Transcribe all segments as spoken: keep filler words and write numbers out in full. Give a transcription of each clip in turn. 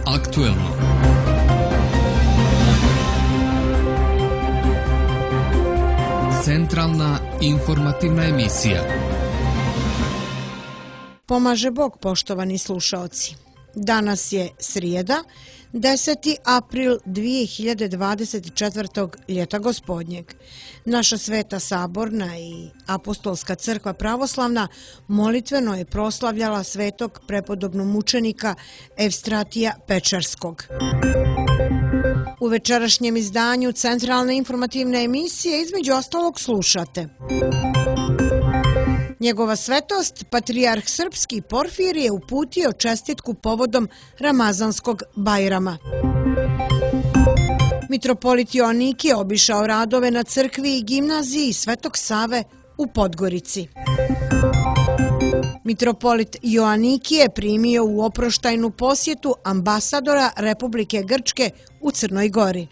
aktuelno. Centralna informativna emisija. Pomaže Bog, poštovani slušaoci. Danas je srijeda, deseti april dvije hiljade dvadeset četvrtog ljeta gospodnjeg. Naša Sveta Saborna i Apostolska crkva pravoslavna molitveno je proslavljala svetog prepodobnog mučenika Evstratija Pečarskog. U večerašnjem izdanju Centralne informativne emisije između ostalog slušate: Njegova svetost, patrijarh srpski Porfirije je uputio čestitku povodom Ramazanskog Bajrama. Mitropolit Joanikije obišao radove na crkvi i gimnaziji Svetog Save u Podgorici. Mitropolit Joanikije primio u oproštajnu posjetu ambasadora Republike Grčke u Crnoj Gori.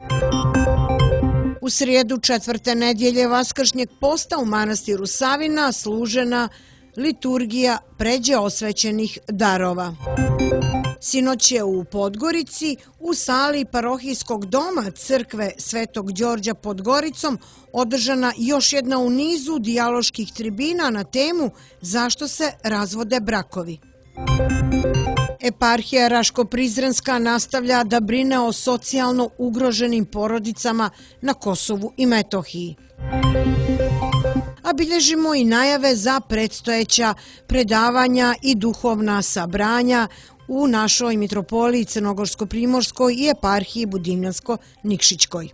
U srijedu četvrte nedjelje Vaskršnjeg posta u manastiru Savina služena liturgija pređe osvećenih darova. Sinoć je u Podgorici u sali parohijskog doma crkve Svetog Đorđa pod Goricom održana još jedna u nizu dijaloških tribina na temu zašto se razvode brakovi. Eparhija Raško-Prizrenska nastavlja da brine o socijalno ugroženim porodicama na Kosovu i Metohiji. A bilježimo i najave za predstojeća predavanja i duhovna sabranja u našoj mitropoliji Crnogorsko-Primorskoj i eparhiji Budimljansko-Nikšićkoj.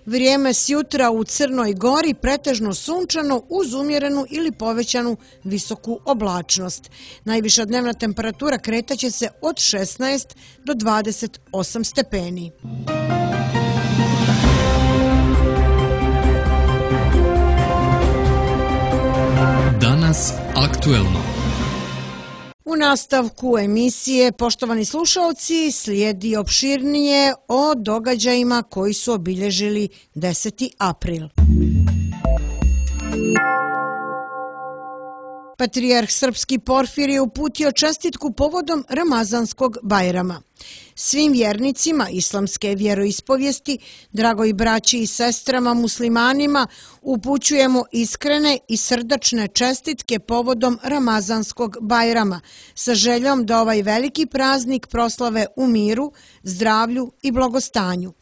Vrijeme sjutra u Crnoj Gori pretežno sunčano uz umjerenu ili povećanu visoku oblačnost. Najviša dnevna temperatura kretaće se od šesnaest do dvadeset osam stepeni. Danas aktuelno. U nastavku emisije, poštovani slušalci, slijedi opširnije o događajima koji su obilježili deseti april. Patrijarh srpski Porfirije je uputio čestitku povodom Ramazanskog Bajrama. Svim vjernicima islamske vjeroispovijesti, dragoj braći i sestrama muslimanima, upućujemo iskrene i srdačne čestitke povodom Ramazanskog Bajrama, sa željom da ovaj veliki praznik proslave u miru, zdravlju i blagostanju.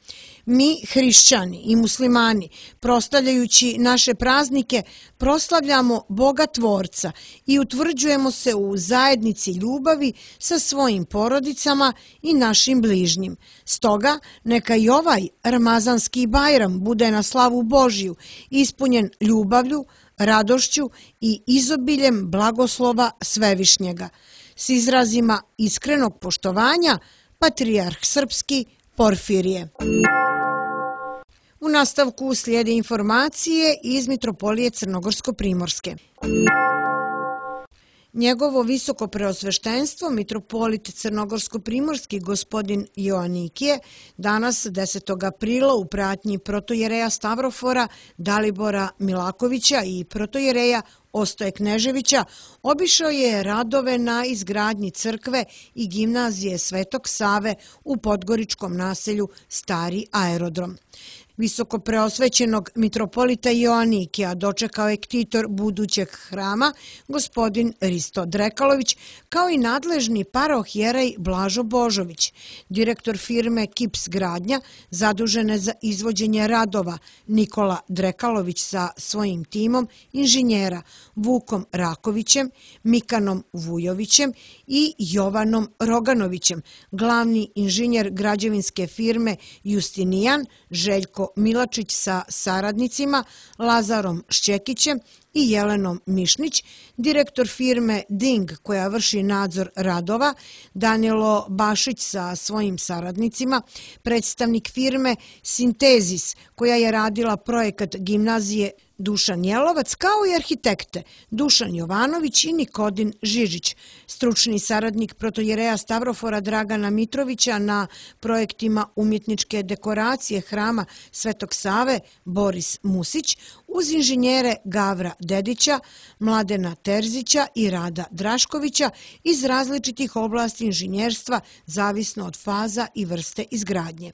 Mi, hrišćani i muslimani, proslavljajući naše praznike, proslavljamo Boga Tvorca i utvrđujemo se u zajednici ljubavi sa svojim porodicama i našim bližnjim. Stoga, neka i ovaj Ramazanski Bajram bude na slavu Božju, ispunjen ljubavlju, radošću i izobiljem blagoslova Svevišnjega. S izrazima iskrenog poštovanja, patrijarh srpski Porfirije. U nastavku slijede informacije iz Mitropolije Crnogorsko-Primorske. Njegovo visoko preosveštenstvo, mitropolit Crnogorsko-Primorski gospodin Joanikije, danas desetog aprila u pratnji protojereja Stavrofora Dalibora Milakovića i protojereja Ostoje Kneževića, obišao je radove na izgradnji crkve i gimnazije Svetog Save u podgoričkom naselju Stari aerodrom. Visoko preosvećenog mitropolita Joanikija dočekao je ktitor budućeg hrama, gospodin Risto Drekalović, kao i nadležni parohijerej Blažo Božović, direktor firme Kips Gradnja, zadužene za izvođenje radova, Nikola Drekalović sa svojim timom inženjera Vukom Rakovićem, Mikanom Vujovićem i Jovanom Roganovićem, glavni inženjer građevinske firme Justinijan, Željko Milačić sa saradnicima, Lazarom Šćekićem i Jelenom Mišnić, direktor firme Ding koja vrši nadzor radova, Danilo Bašić sa svojim saradnicima, predstavnik firme Sintezis koja je radila projekat gimnazije Dušan Jelovac, kao i arhitekte Dušan Jovanović i Nikodin Žižić, stručni saradnik protojereja Stavrofora Dragana Mitrovića na projektima umjetničke dekoracije hrama Svetog Save Boris Musić, uz inženjere Gavra Dedića, Mladena Terzića i Rada Draškovića iz različitih oblasti inženjerstva zavisno od faza i vrste izgradnje.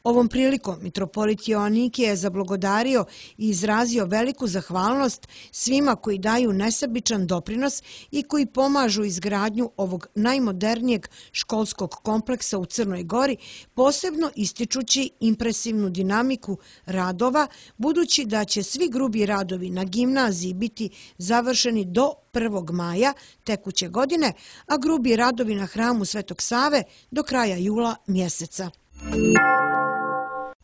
Ovom prilikom mitropolit Joanikije je zablagodario i izrazio veliku zahvalnost svima koji daju nesebičan doprinos i koji pomažu izgradnju ovog najmodernijeg školskog kompleksa u Crnoj Gori, posebno ističući impresivnu dinamiku radova, budući da će svi grubi radovi na gimnaziji biti završeni do prvog maja tekuće godine, a grubi radovi na hramu Svetog Save do kraja jula mjeseca.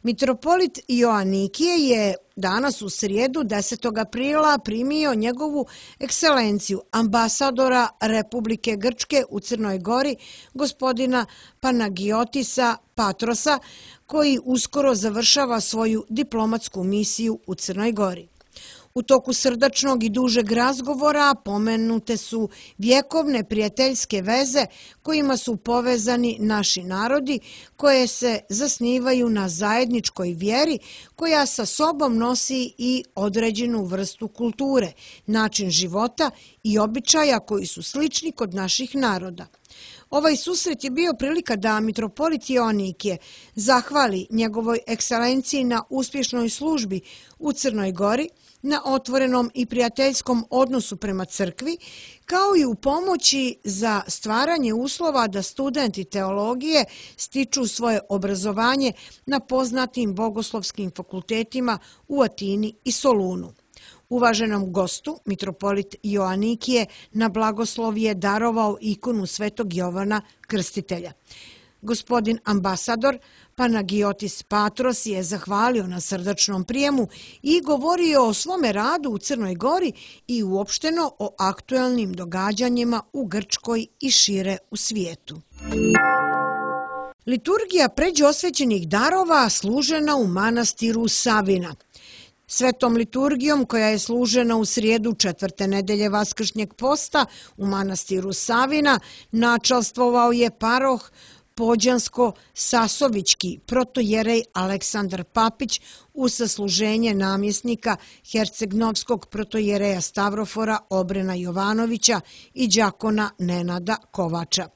Mitropolit Joanikije je danas u srijedu desetog aprila primio njegovu ekscelenciju ambasadora Republike Grčke u Crnoj Gori, gospodina Panagiotisa Patrosa, koji uskoro završava svoju diplomatsku misiju u Crnoj Gori. U toku srdačnog i dužeg razgovora pomenute su vjekovne prijateljske veze kojima su povezani naši narodi, koje se zasnivaju na zajedničkoj vjeri koja sa sobom nosi i određenu vrstu kulture, način života i običaja koji su slični kod naših naroda. Ovaj susret je bio prilika da mitropolit Joanikije zahvali njegovoj ekscelenciji na uspješnoj službi u Crnoj Gori, na otvorenom i prijateljskom odnosu prema crkvi, kao i u pomoći za stvaranje uslova da studenti teologije stiču svoje obrazovanje na poznatim bogoslovskim fakultetima u Atini i Solunu. Uvaženom gostu, mitropolit Joanikije, na blagoslov je darovao ikonu Svetog Jovana Krstitelja. Gospodin ambasador Panagiotis Patros je zahvalio na srdačnom prijemu i govorio o svome radu u Crnoj Gori i uopšteno o aktuelnim događanjima u Grčkoj i šire u svijetu. Liturgija pređe osvećenih darova služena u manastiru Savina. Svetom liturgijom koja je služena u srijedu četvrte nedelje Vaskršnjeg posta u manastiru Savina načalstvovao je paroh Pođansko-Sasovički protojerej Aleksandar Papić uz sasluženje namjesnika Hercegnovskog protojereja Stavrofora Obrena Jovanovića i đakona Nenada Kovača.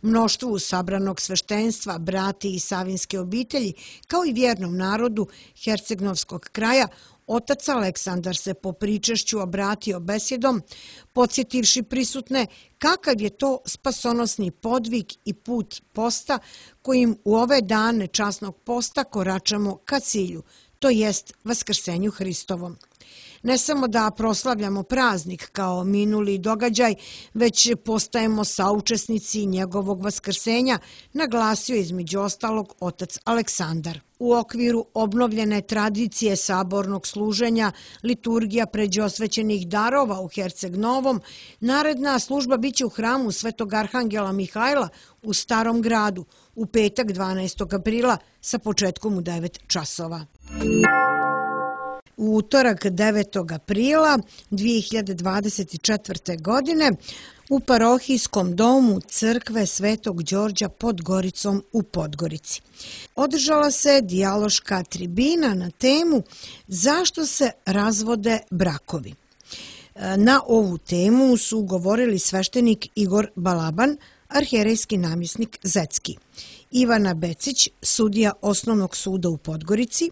Mnoštvu sabranog sveštenstva, brati i savinske obitelji, kao i vjernom narodu Hercegnovskog kraja, otac Aleksandar se po pričešću obratio besjedom, podsjetivši prisutne kakav je to spasonosni podvig i put posta kojim u ove dane časnog posta koračamo ka cilju, to jest Vaskrsenju Hristovom. Ne samo da proslavljamo praznik kao minuli događaj, već postajemo saučesnici njegovog vaskrsenja, naglasio između ostalog otac Aleksandar. U okviru obnovljene tradicije sabornog služenja, liturgija pređe osvećenih darova u Herceg Novom, naredna služba biće u hramu Svetog Arhangela Mihajla u Starom gradu u petak dvanaestog aprila sa početkom u devet časova. U utorak devetog aprila dvije hiljade dvadeset četvrte. godine u parohijskom domu crkve Svetog Đorđa pod Goricom u Podgorici održala se dijaloška tribina na temu zašto se razvode brakovi. Na ovu temu su govorili sveštenik Igor Balaban, arhijerejski namjesnik Zetski, Ivana Becić, sudija Osnovnog suda u Podgorici,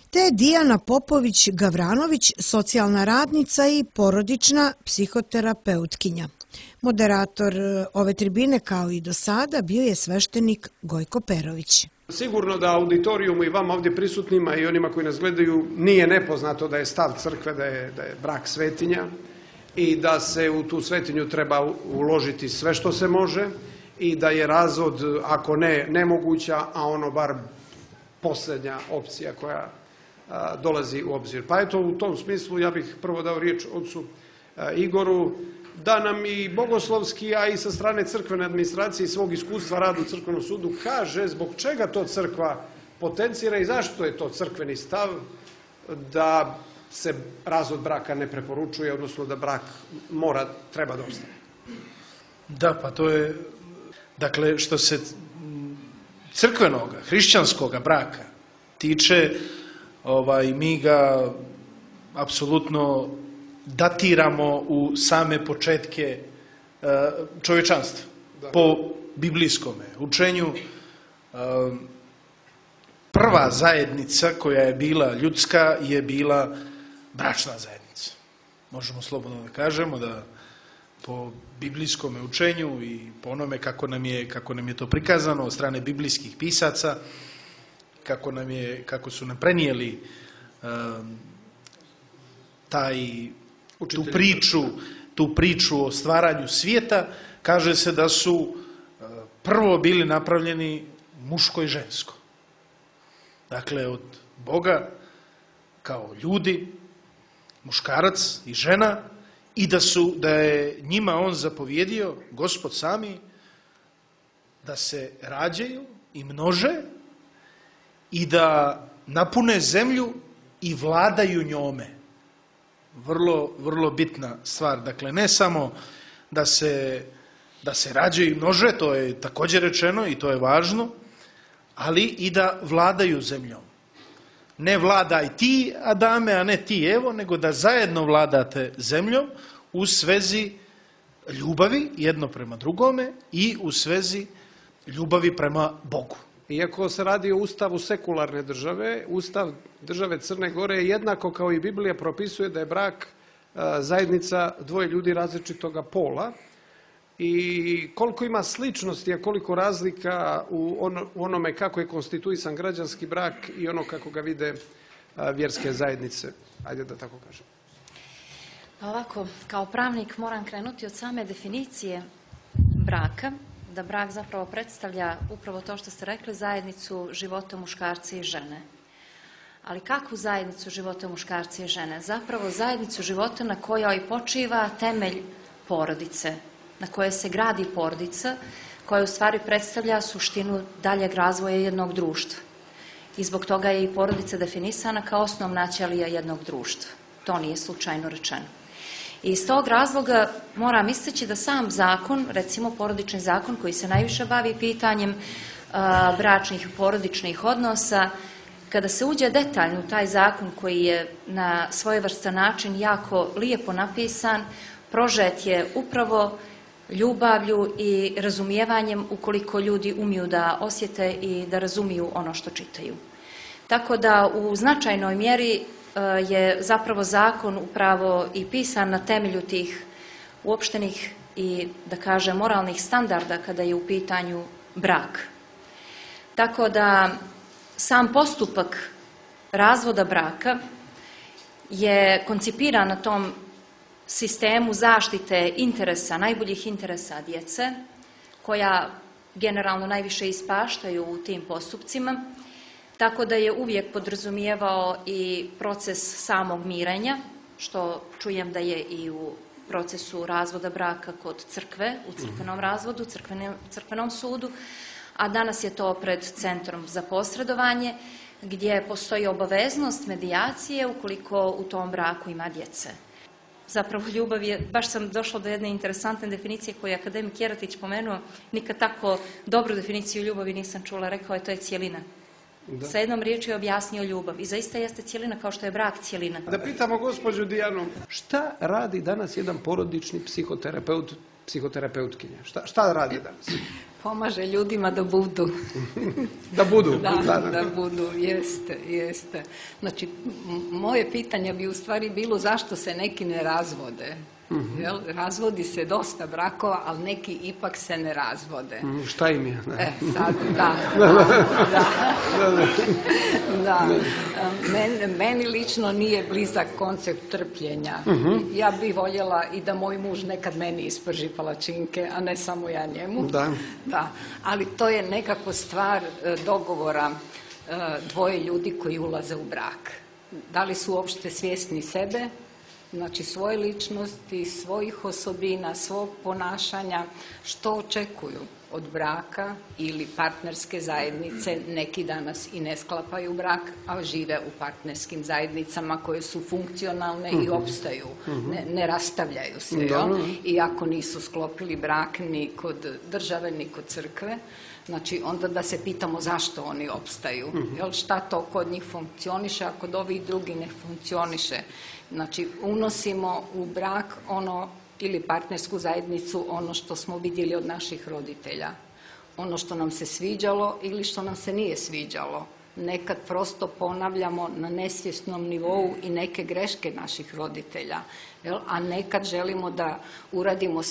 te Dijana Popović-Gavranović, socijalna radnica i porodična psihoterapeutkinja. Moderator ove tribine, kao i do sada, bio je sveštenik Gojko Perović. Sigurno da auditorijumu i vama ovdje prisutnima i onima koji nas gledaju nije nepoznato da je stav crkve da je, da je brak svetinja i da se u tu svetinju treba uložiti sve što se može i da je razvod, ako ne nemoguća, a ono bar posljednja opcija koja a, dolazi u obzir. Pa eto, u tom smislu ja bih prvo dao riječ ocu a, Igoru, da nam i bogoslovski, a i sa strane crkvene administracije i svog iskustva rada u crkvenom sudu kaže zbog čega to crkva potencira i zašto je to crkveni stav da se razvod braka ne preporučuje, odnosno da brak mora, treba da ostane. Da, pa to je, dakle, što se crkvenoga, hrišćanskoga braka tiče, ovaj, mi ga apsolutno datiramo u same početke čovječanstva. Da. Po biblijskome učenju prva zajednica koja je bila ljudska je bila bračna zajednica. Možemo slobodno da kažemo da po biblijskom učenju i po onome kako nam je, kako nam je to prikazano od strane biblijskih pisaca, kako, nam je, kako su nam prenijeli um, taj, tu priču, tu priču o stvaranju svijeta, kaže se da su uh, prvo bili napravljeni muško i žensko. Dakle, od Boga kao ljudi, muškarac i žena, i da su, da je njima on zapovjedio, Gospod sami, da se rađaju i množe i da napune zemlju i vladaju njome. Vrlo, vrlo bitna stvar. Dakle, ne samo da se, da se rađaju i množe, to je također rečeno i to je važno, ali i da vladaju zemljom. Ne vladaj ti, Adame, a ne ti, Evo, nego da zajedno vladate zemljom u svezi ljubavi jedno prema drugome i u svezi ljubavi prema Bogu. Iako se radi o ustavu sekularne države, ustav države Crne Gore je jednako kao i Biblija propisuje da je brak zajednica dvoje ljudi različitoga pola. I koliko ima sličnosti, a koliko razlika u, ono, u onome kako je konstituisan građanski brak i ono kako ga vide a, vjerske zajednice. Ajde da tako kažem. Pa ovako, kao pravnik moram krenuti od same definicije braka, da brak zapravo predstavlja upravo to što ste rekli, zajednicu života muškarca i žene. Ali kakvu zajednicu života muškarca i žene? Zapravo zajednicu života na kojoj počiva temelj porodice, na koje se gradi porodica, koja u stvari predstavlja suštinu daljeg razvoja jednog društva. I zbog toga je i porodica definisana kao osnovna ćelija jednog društva. To nije slučajno rečeno. I iz tog razloga moram istaći da sam zakon, recimo porodični zakon koji se najviše bavi pitanjem a, bračnih i porodičnih odnosa, kada se uđe detaljno u taj zakon koji je na svojevrstan način jako lijepo napisan, prožet je upravo ljubavlju i razumijevanjem ukoliko ljudi umiju da osjete i da razumiju ono što čitaju. Tako da u značajnoj mjeri je zapravo zakon upravo i pisan na temelju tih uopštenih i, da kažem, moralnih standarda kada je u pitanju brak. Tako da sam postupak razvoda braka je koncipiran na tom sistemu zaštite interesa, najboljih interesa djece, koja generalno najviše ispaštaju u tim postupcima, tako da je uvijek podrazumijevao i proces samog mirenja, što čujem da je i u procesu razvoda braka kod crkve, u crkvenom razvodu, crkvenom, crkvenom sudu, a danas je to pred Centrom za posredovanje, gdje postoji obaveznost medijacije ukoliko u tom braku ima djece. Zapravo ljubav je, baš sam došla do jedne interesantne definicije koju je akademik Jeratić pomenuo, nikad tako dobru definiciju ljubavi nisam čula, rekao je to je cijelina. Da. Sa jednom riječju je objasnio ljubav i zaista jeste cijelina kao što je brak cijelina. Da pitamo gospođu Dijanu, šta radi danas jedan porodični psihoterapeut, psihoterapeutkinja? Šta, šta radi danas? Pomaže ljudima da budu. Da budu. Da, da, da. da budu, jeste, jeste. Znači, moje pitanje bi u stvari bilo zašto se neki ne razvode. Mm-hmm. Jel? Razvodi se dosta brakova, ali neki ipak se ne razvode. Mm, šta im je? E, sad, da, da, da. da. Men, meni lično nije blizak koncept trpljenja. Mm-hmm. Ja bih voljela i da moj muž nekad meni isprži palačinke, a ne samo ja njemu. Da. Da. Ali to je nekako stvar dogovora dvoje ljudi koji ulaze u brak. Da li su uopšte svjesni sebe, znači svoje ličnosti, svojih osobina, svog ponašanja, što očekuju. od braka ili partnerske zajednice. Neki danas i ne sklapaju brak, a žive u partnerskim zajednicama koje su funkcionalne i opstaju, ne, ne rastavljaju se. Jel? Iako nisu sklopili brak ni kod države, ni kod crkve. Znači, onda da se pitamo zašto oni opstaju. Jel, šta to kod njih funkcioniše, a kod ovih drugi ne funkcioniše. Znači, unosimo u brak ono ili partnersku zajednicu ono što smo vidjeli od naših roditelja. Ono što nam se sviđalo ili što nam se nije sviđalo. Nekad prosto ponavljamo na nesvjesnom nivou i neke greške naših roditelja. Jel? A nekad želimo da uradimo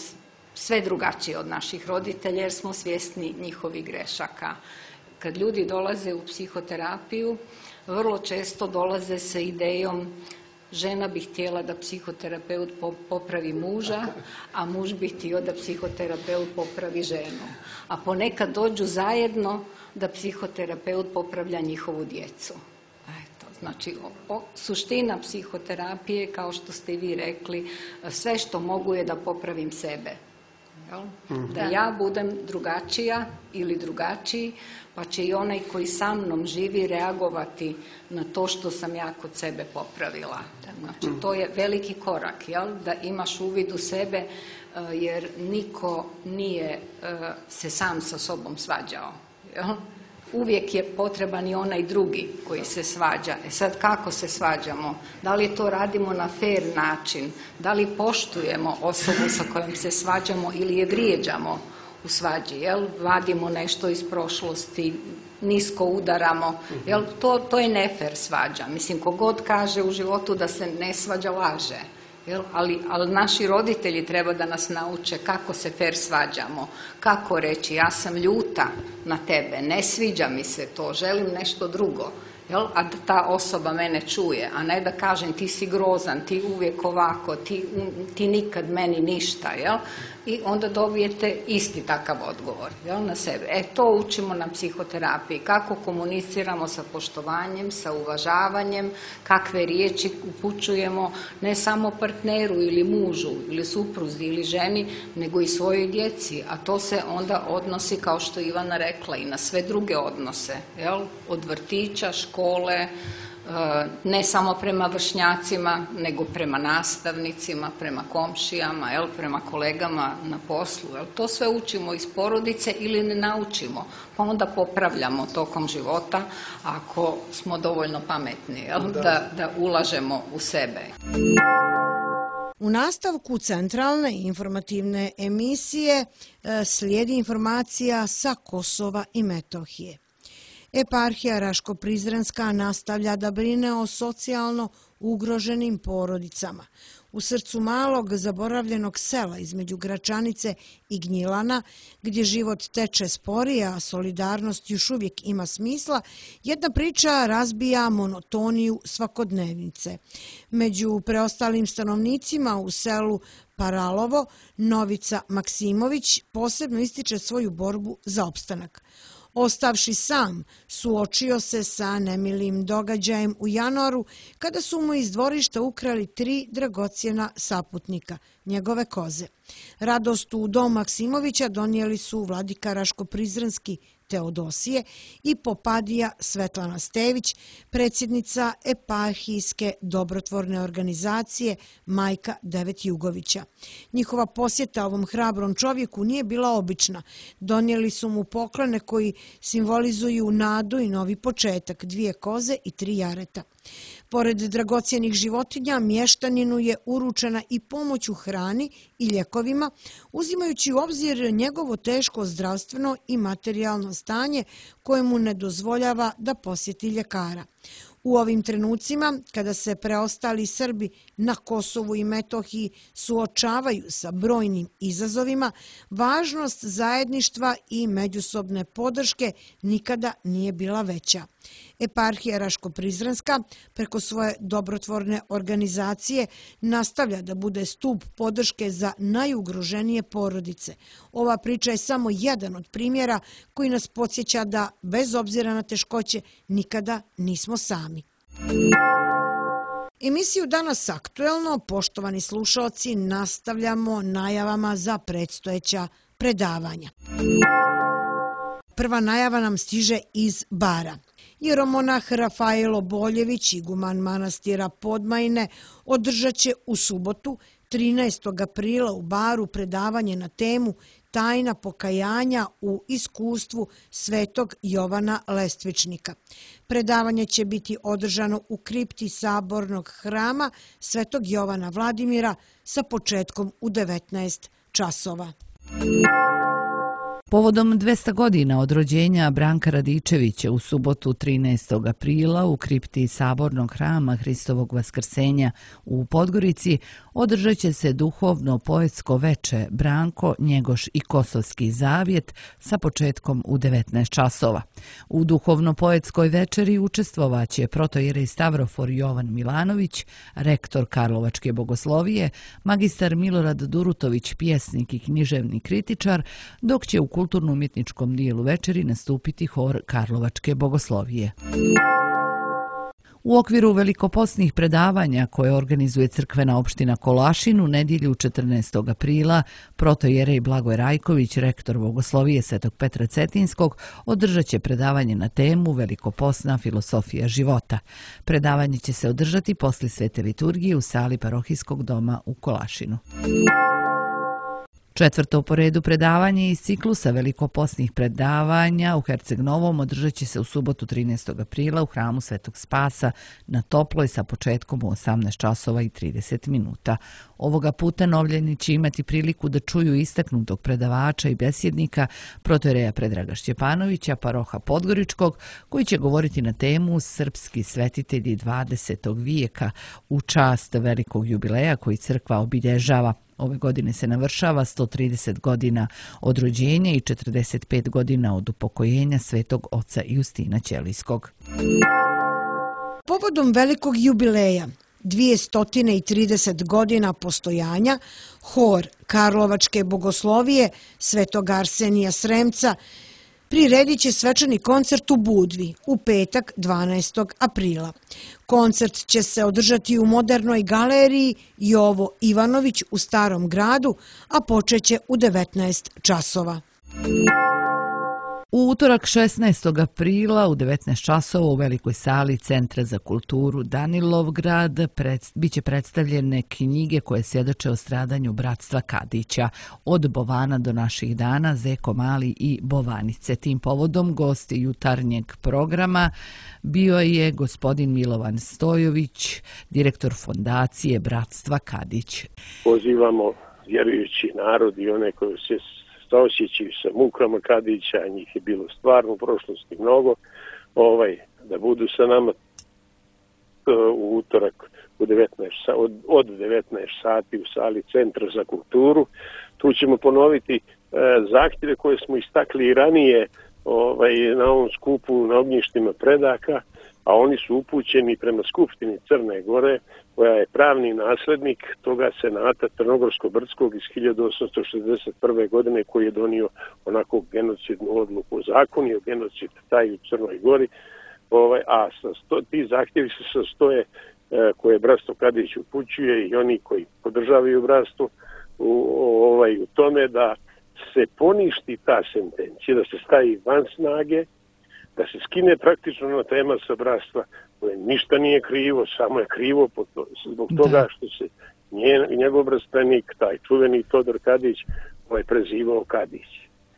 sve drugačije od naših roditelja jer smo svjesni njihovih grešaka. Kad ljudi dolaze u psihoterapiju, vrlo često dolaze sa idejom žena bi htjela da psihoterapeut popravi muža, a muž bi htio da psihoterapeut popravi ženu. A ponekad dođu zajedno da psihoterapeut popravlja njihovu djecu. Eto, znači, o, o, suština psihoterapije, kao što ste i vi rekli, sve što mogu je da popravim sebe. Da ja budem drugačija ili drugačiji, pa će i onaj koji sa mnom živi reagovati na to što sam ja kod sebe popravila. Znači, to je veliki korak, jel? Da imaš uvid u sebe, jer niko nije se sam sa sobom svađao. Jel? Uvijek je potreban i onaj drugi koji se svađa. E sad, kako se svađamo? Da li to radimo na fer način? Da li poštujemo osobu sa kojom se svađamo ili je vrijeđamo u svađi? Jel? Vadimo nešto iz prošlosti, nisko udaramo. Jel? To, to je nefer svađa. Mislim, kogod kaže u životu da se ne svađa, laže. Jel? Ali, ali naši roditelji treba da nas nauče kako se fer svađamo, kako reći ja sam ljuta na tebe, ne sviđa mi se to, želim nešto drugo. Jel? A da ta osoba mene čuje, a ne da kažem ti si grozan, ti uvijek ovako, ti, ti nikad meni ništa. Jel? I onda dobijete isti takav odgovor, jel, na sebe. E, to učimo na psihoterapiji. Kako komuniciramo sa poštovanjem, sa uvažavanjem, kakve riječi upućujemo ne samo partneru ili mužu ili supruzi ili ženi, nego i svojoj djeci. A to se onda odnosi, kao što je Ivana rekla, i na sve druge odnose. Jel? Od vrtića, škole, ne samo prema vršnjacima, nego prema nastavnicima, prema komšijama, jel, prema kolegama na poslu. Jel. To sve učimo iz porodice ili ne naučimo, pa onda popravljamo tokom života ako smo dovoljno pametni, jel, da, da ulažemo u sebe. U nastavku centralne informativne emisije slijedi informacija sa Kosova i Metohije. Eparhija Raško-Prizrenska nastavlja da brine o socijalno ugroženim porodicama. U srcu malog zaboravljenog sela između Gračanice i Gnjilana, gdje život teče sporije, a solidarnost još uvijek ima smisla, jedna priča razbija monotoniju svakodnevnice. Među preostalim stanovnicima u selu Paralovo, Novica Maksimović posebno ističe svoju borbu za opstanak. Ostavši sam, suočio se sa nemilim događajem u januaru kada su mu iz dvorišta ukrali tri dragocjena saputnika, njegove koze. Radost u dom Maksimovića donijeli su vladika Raško-Prizrenski Teodosije i popadija Svetlana Stević, predsjednica eparhijske dobrotvorne organizacije Majka Devet Jugovića. Njihova posjeta ovom hrabrom čovjeku nije bila obična. Donijeli su mu poklone koji simbolizuju nadu i novi početak, dvije koze i tri jareta. Pored dragocjenih životinja, mještaninu je uručena i pomoć u hrani i ljekovima, uzimajući u obzir njegovo teško zdravstveno i materijalno stanje koje mu ne dozvoljava da posjeti ljekara. U ovim trenucima, kada se preostali Srbi na Kosovu i Metohiji suočavaju sa brojnim izazovima, važnost zajedništva i međusobne podrške nikada nije bila veća. Eparhija Raško-Prizrenska preko svoje dobrotvorne organizacije nastavlja da bude stup podrške za najugroženije porodice. Ova priča je samo jedan od primjera koji nas podsjeća da, bez obzira na teškoće, nikada nismo sami. Emisiju Danas aktuelno, poštovani slušalci, nastavljamo najavama za predstojeća predavanja. Prva najava nam stiže iz Bara. Jeromonah Rafaelo Boljević, iguman manastira Podmajne, održat će u subotu, trinaestog aprila u Baru predavanje na temu Tajna pokajanja u iskustvu svetog Jovana Lestvičnika. Predavanje će biti održano u kripti Sabornog hrama svetog Jovana Vladimira sa početkom u devetnaest časova. Povodom dvesta godina od rođenja Branka Radičevića u subotu trinaestog aprila u kripti Sabornog hrama Hristovog vaskrsenja u Podgorici održat će se duhovno poetsko veče Branko, Njegoš i Kosovski zavjet sa početkom u devetnaest časova. U duhovno poetskoj večeri učestvovaće protojerej Stavrofor Jovan Milanović, rektor Karlovačke bogoslovije, magistar Milorad Durutović, pjesnik i književni kritičar, dok će u kulturno-umjetničkom dijelu večeri nastupiti hor Karlovačke bogoslovije. U okviru velikoposnih predavanja koje organizuje crkvena opština Kolašin u nedjelju četrnaestog aprila, protojerej Blagoj Rajković, rektor bogoslovije Svetog Petra Cetinskog, održat će predavanje na temu Velikoposna filosofija života. Predavanje će se održati posle svete liturgije u sali parohijskog doma u Kolašinu. Četvrto po redu predavanje iz ciklusa velikoposnih predavanja u Herceg Novom održat će se u subotu trinaestog aprila u hramu Svetog Spasa na Toploj sa početkom u osamnaest časova i trideset minuta. Ovoga puta novljani će imati priliku da čuju istaknutog predavača i besjednika protojereja Predraga Šćepanovića, paroha Podgoričkog, koji će govoriti na temu Srpski svetitelji dvadesetog vijeka u čast velikog jubileja koji crkva obilježava. Ove godine se navršava sto trideset godina od rođenja i četrdeset pet godina od upokojenja svetog oca Justina Ćelijskog. Povodom velikog jubileja, dvjesto trideset godina postojanja, hor Karlovačke bogoslovije svetog Arsenija Sremca priredit će svečani koncert u Budvi u petak dvanaestog aprila. Koncert će se održati u modernoj galeriji Jovo Ivanović u Starom gradu, a počeće u devetnaest časova. U utorak šesnaestog aprila u devetnaest časova u velikoj sali Centra za kulturu Danilovgrad pred, biće predstavljene knjige koje svjedoče o stradanju bratstva Kadića od Bovana do naših dana, Zeko Mali i Bovanice. Tim povodom gosti jutarnjeg programa bio je gospodin Milovan Stojović, direktor fondacije Bratstva Kadić. Pozivamo vjerujući narod i one koji se osjećaju sa mukama Kadića, njih je bilo stvarno u prošlosti mnogo, ovaj, da budu sa nama u utorak u devetnaest, od, od devetnaest sati u sali Centra za kulturu. Tu ćemo ponoviti e, zahtjeve koje smo istakli i ranije ovaj, na ovom skupu na ognjištima predaka, a oni su upućeni prema Skupštini Crne Gore, koja je pravni naslednik toga senata Crnogorsko-Brdskog iz hiljadu osamsto šezdeset prve. godine koji je donio onako genocidnu odluku o zakonu o genocid taj u Crnoj Gori, ovaj, a sto, ti zahtjevi se sastoje e, koje bratstvo Kadić upućuje i oni koji podržavaju bratstvo u, ovaj, u tome da se poništi ta sentencija, da se stavi van snage, da se skine praktično na tema sa bratstva koje ništa nije krivo, samo je krivo zbog toga što se njen, njegov bratstvenik, taj čuveni Todor Kadić, ovaj prezivao Kadić.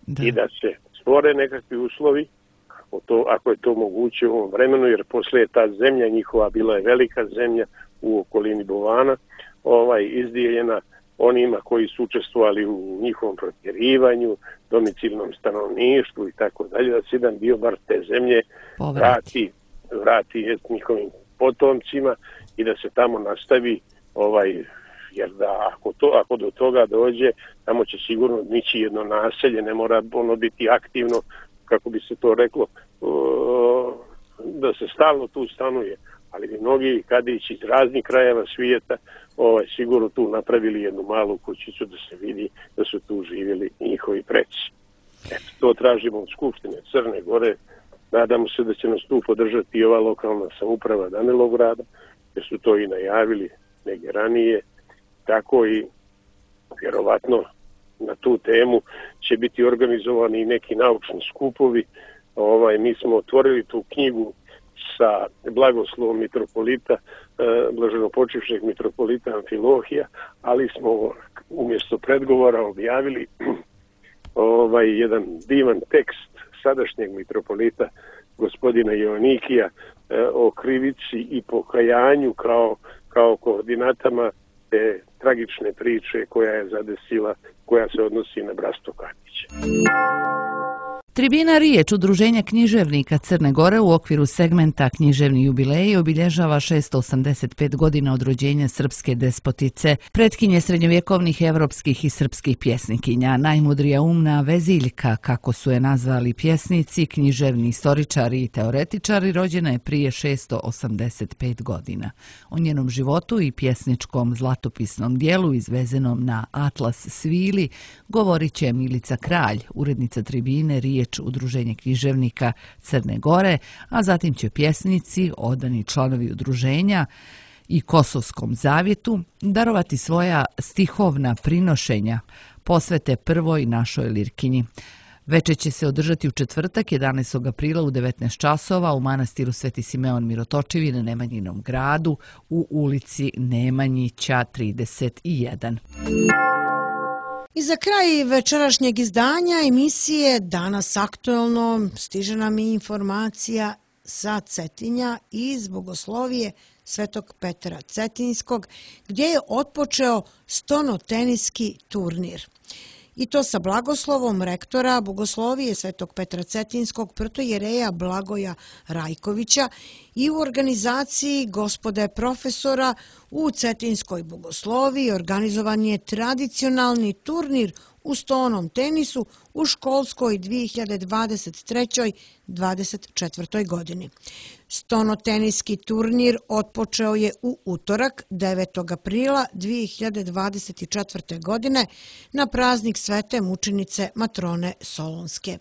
Da. I da se stvore nekakvi uslovi, ako, to, ako je to moguće u ovom vremenu, jer posle je ta zemlja njihova bila je velika zemlja u okolini Bovana, ovaj, izdijeljena onima koji su učestvovali u njihovom protjerivanju, domicilnom stanovništvu i tako dalje, da se jedan dio bar te zemlje vrati, vrati njihovim potomcima i da se tamo nastavi, ovaj, jer da ako, to, ako do toga dođe, tamo će sigurno nići jedno naselje, ne mora ono biti aktivno, kako bi se to reklo, da se stalno tu stanuje. Ali bi mnogi Kadići iz raznih krajeva svijeta ovaj, sigurno tu napravili jednu malu kućicu da se vidi da su tu živjeli njihovi preci. Eto, to tražimo od Skupštine Crne Gore. Nadamo se da će nas tu podržati i ova lokalna samouprava Danilovgrada, jer su to i najavili negdje ranije. Tako i vjerovatno na tu temu će biti organizovani i neki naučni skupovi. Ovaj, mi smo otvorili tu knjigu sa blagoslovom mitropolita, blaženopočivšeg mitropolita Amfilohija, ali smo umjesto predgovora objavili ovaj jedan divan tekst sadašnjeg mitropolita gospodina Joanikija o krivici i pokajanju kao, kao koordinatama te tragične priče koja je zadesila, koja se odnosi na bratstvo Katića. Tribina Riječ, udruženja književnika Crne Gore u okviru segmenta Književni jubileji obilježava šesto osamdeset pet godina od rođenja srpske despotice, pretkinje srednjovjekovnih evropskih i srpskih pjesnikinja, najmudrija umna veziljka, kako su je nazvali pjesnici, književni istoričari i teoretičari, rođena je prije šesto osamdeset pet godina. O njenom životu i pjesničkom zlatopisnom dijelu izvezenom na Atlas svili govorit će Milica Kralj, urednica Tribine Riječ, udruženje književnika Crne Gore, a zatim će pjesnici, odani članovi udruženja i Kosovskom zavjetu darovati svoja stihovna prinošenja posvete prvoj našoj lirkinji. Večer će se održati u četvrtak, jedanaestog aprila u devetnaest časova u manastiru Sveti Simeon Mirotočivi na Nemanjinom gradu u ulici Nemanjića trideset jedan. I za kraj večerašnjeg izdanja emisije Danas aktuelno stiže nam i informacija sa Cetinja iz Bogoslovije Svetog Petra Cetinjskog, gdje je otpočeo stonoteniski turnir. I to sa blagoslovom rektora Bogoslovije Svetog Petra Cetinjskog protojereja Blagoja Rajkovića i u organizaciji gospode profesora u Cetinjskoj Bogosloviji organizovan je tradicionalni turnir u stonom tenisu u školskoj dvije hiljade dvadeset treće dvadeset četvrtoj godini. Stonoteniski turnir otpočeo je u utorak devetog aprila dvije hiljade dvadeset četvrte. godine na praznik Svete mučenice Matrone Solunske.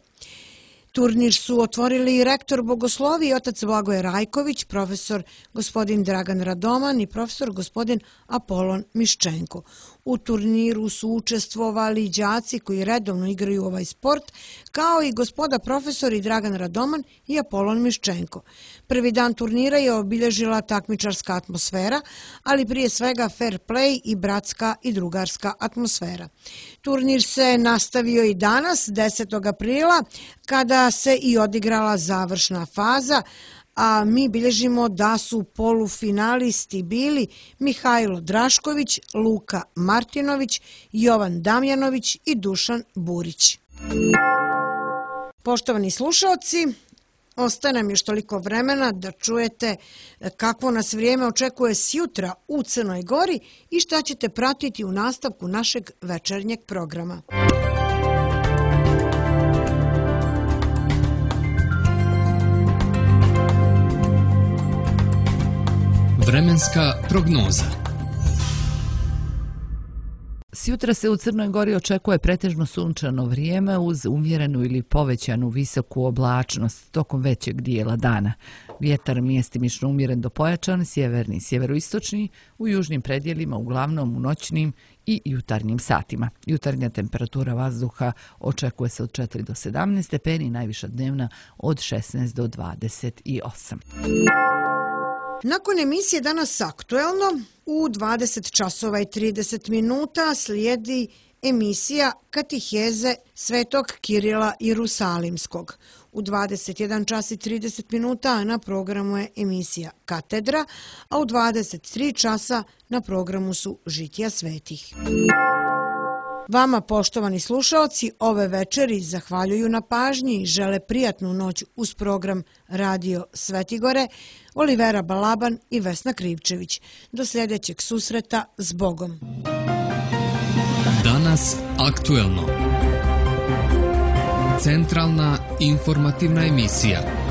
Turnir su otvorili i rektor Bogoslovije otac Blagoje Rajković, profesor gospodin Dragan Radoman i profesor gospodin Apolon Miščenko. U turniru su učestvovali đaci koji redovno igraju ovaj sport, kao i gospoda profesori Dragan Radoman i Apolon Miščenko. Prvi dan turnira je obilježila takmičarska atmosfera, ali prije svega fair play i bratska i drugarska atmosfera. Turnir se nastavio i danas, desetog aprila, kada se i odigrala završna faza, a mi bilježimo da su polufinalisti bili Mihajlo Drašković, Luka Martinović, Jovan Damjanović i Dušan Burić. Poštovani slušalci, ostaje nam još toliko vremena da čujete kakvo nas vrijeme očekuje sjutra u Crnoj Gori i šta ćete pratiti u nastavku našeg večernjeg programa. Vremenska prognoza. Sjutra se u Crnoj Gori očekuje pretežno sunčano vrijeme uz umjerenu ili povećanu visoku oblačnost tokom većeg dijela dana. Vjetar mjestimično umjeren do pojačan, sjeverni i sjeveroistočni, u južnim predjelima uglavnom u noćnim i jutarnjim satima. Jutarnja temperatura vazduha očekuje se od četiri do sedamnaest stepeni, najviša dnevna od šesnaest do dvadeset osam. Nakon emisije Danas aktuelno, u dvadeset časova i trideset minuta slijedi emisija Katiheze Svetog Kirila Jerusalimskog. U dvadeset jedan čas i trideset minuta na programu je emisija Katedra, a u dvadeset tri časa na programu su Žitija svetih. Vama, poštovani slušalci, ove večeri zahvaljuju na pažnji i žele prijatnu noć uz program Radio Svetigore, Olivera Balaban i Vesna Krivčević. Do sljedećeg susreta, s Bogom. Danas aktuelno. Centralna informativna emisija.